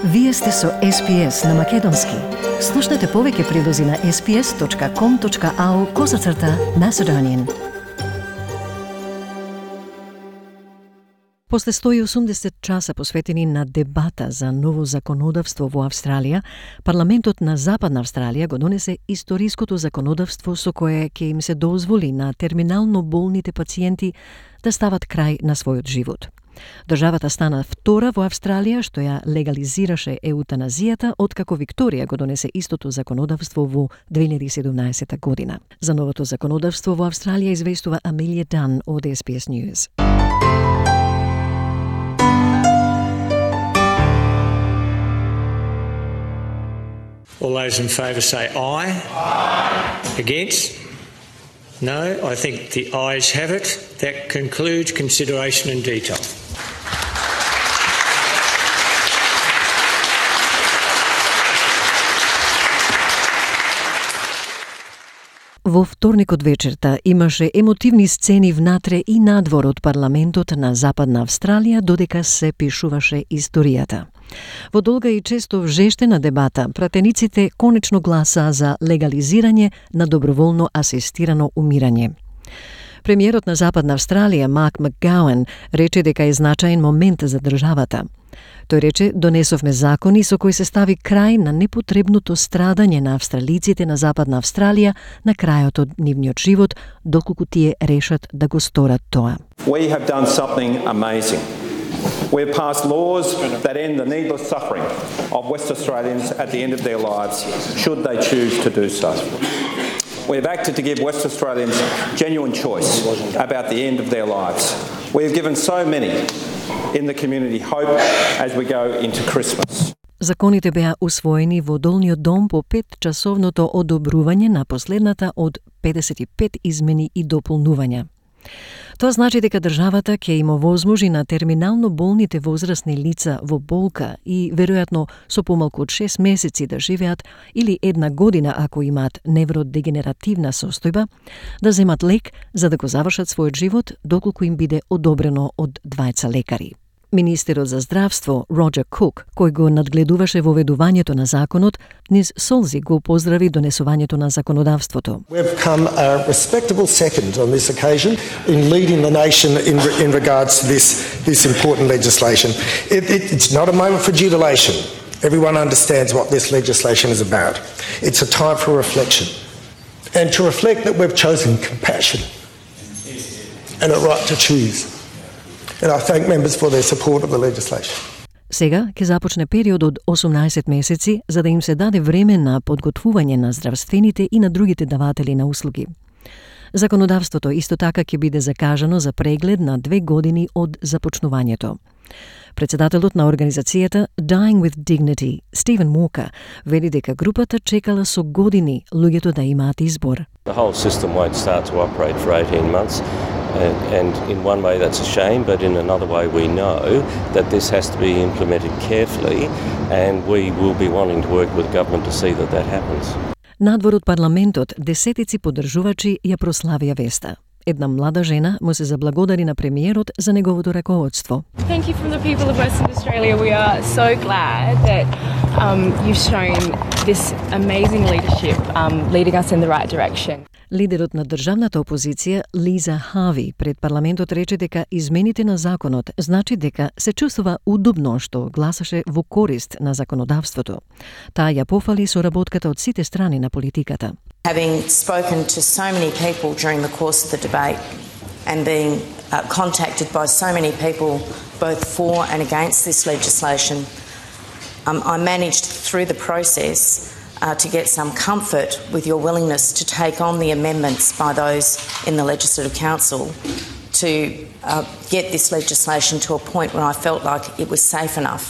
Вие сте со SPS на Македонски. Слушнете повеќе прилози на sps.com.au/Macedonian. После 180 часа посветени на дебата за ново законодавство во Австралија, парламентот на Западна Австралија го донесе историското законодавство со кое ќе им се дозволи на терминално болните пациенти да стават крај на својот живот. Државата стана втора во Австралија што ја легализираше еутаназијата откако Викторија го донесе истото законодавство во 2017 година. За новото законодавство во Австралија известува Амелија Дан од SBS News. All those in favour say aye. Aye. Against? No, I think the ayes have it. That concludes consideration in detail. Во вторникот вечерта имаше емотивни сцени внатре и надвор од парламентот на Западна Австралија додека се пишуваше историјата. Во долга и често вжештена дебата, пратениците конечно гласаа за легализирање на доброволно асистирано умирање. Премиерот на Западна Австралија, Марк Макгауен, рече дека е значаен момент за државата. Тој рече, донесовме закони со кои се стави крај на непотребното страдање на австралиците на Западна Австралија на крајот од нивниот живот, доколку тие решат да го сторат тоа. We have done something amazing. We have passed laws that end the needless suffering of West Australians at the end of their lives, should they choose to do so. We have acted to give West Australians genuine choice about the end of their lives. We have given so many in the community hope as we go into Christmas. Законите беа усвоени во Долниот дом по 5-часовното одобрување на последната од 55 измени и дополнувања. Тоа значи дека државата ќе им овозможи на терминално болните возрастни лица во болка и веројатно со помалку од 6 месеци да живеат или 1 година ако имаат невродегенеративна состојба, да земат лек за да го завршат својот живот доколку им биде одобрено од двајца лекари. Министерот за здравство Роджер Кук, кој го надгледуваше воведувањето на законот, низ солзи го поздрави донесувањето на законодавството. We've come a respectable second on this occasion in leading the nation in regards to this important legislation. It's not a moment for jubilation. Everyone understands what this legislation is about. It's a time for reflection. And to reflect that we've chosen compassion and a right to choose. And I thank members for their support of the legislation. Сега ќе започне период од 18 месеци за да им се даде време на подготвување на здравствените и на другите даватели на услуги. Законодавството исто така ќе биде закажано за преглед на 2 години од започнувањето. Председателот на организацијата Dying with Dignity, Стивен Walker, вели дека групата чекала со години луѓето да имаат избор. The whole system won't start to operate for 18 months. And in one way that's a shame, but in another way we know that this has to be implemented carefully and we will be wanting to work with government to see that happens. Надвор од парламентот десетици поддржувачи ја прославија веста. Една млада жена му се заблагодари на премиерот за неговото раководство. Thank you from the people of Western Australia. We are so glad that you've shown this amazing leadership leading us in the right direction. Лидерот на државната опозиција Лиза Хави пред парламентот рече дека измените на законот значи дека се чувствува удобно што гласаше во корист на законодавството. Таа ја пофали соработката од сите страни на политиката. Having spoken to so many people during the course of the debate and being contacted by so many people both for and against this legislation, I managed through the process to get some comfort with your willingness to take on the amendments by those in the Legislative Council to get this legislation to a point where I felt like it was safe enough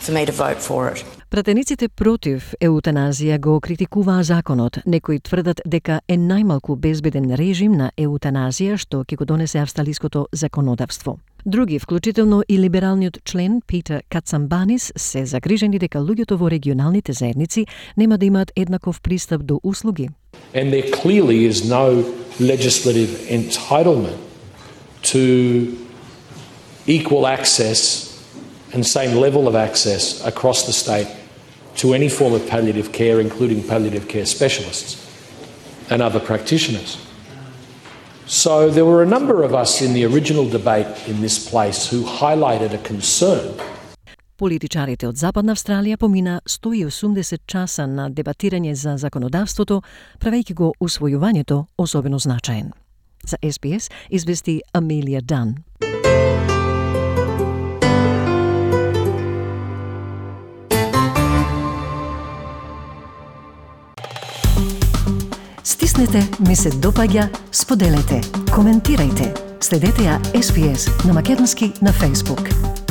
for me to vote for it. Пратениците против еутаназија го критикуваа законот. Некои тврдат дека е најмалку безбеден режим на еутаназија што ќе го донесе австралиското законодавство. Други, вклучително и либералниот член Питер Кацамбанис, се загрижени дека луѓето во регионалните заедници нема да имаат еднаков пристап до услуги. And there clearly is no legislative entitlement to equal access and same level of access across the state to any form of palliative care, including palliative care specialists and other practitioners. So there were a number of us in the original debate in this place who highlighted a concern. Политичарите од Западна Австралија помина 180 часа на дебатирање за законодавството, правејќи го усвојувањето особено значаен. За SBS извести Амелија Дан. Стиснете, ми се допаѓа, споделете, коментирајте. Следете ја SBS на македонски на Facebook.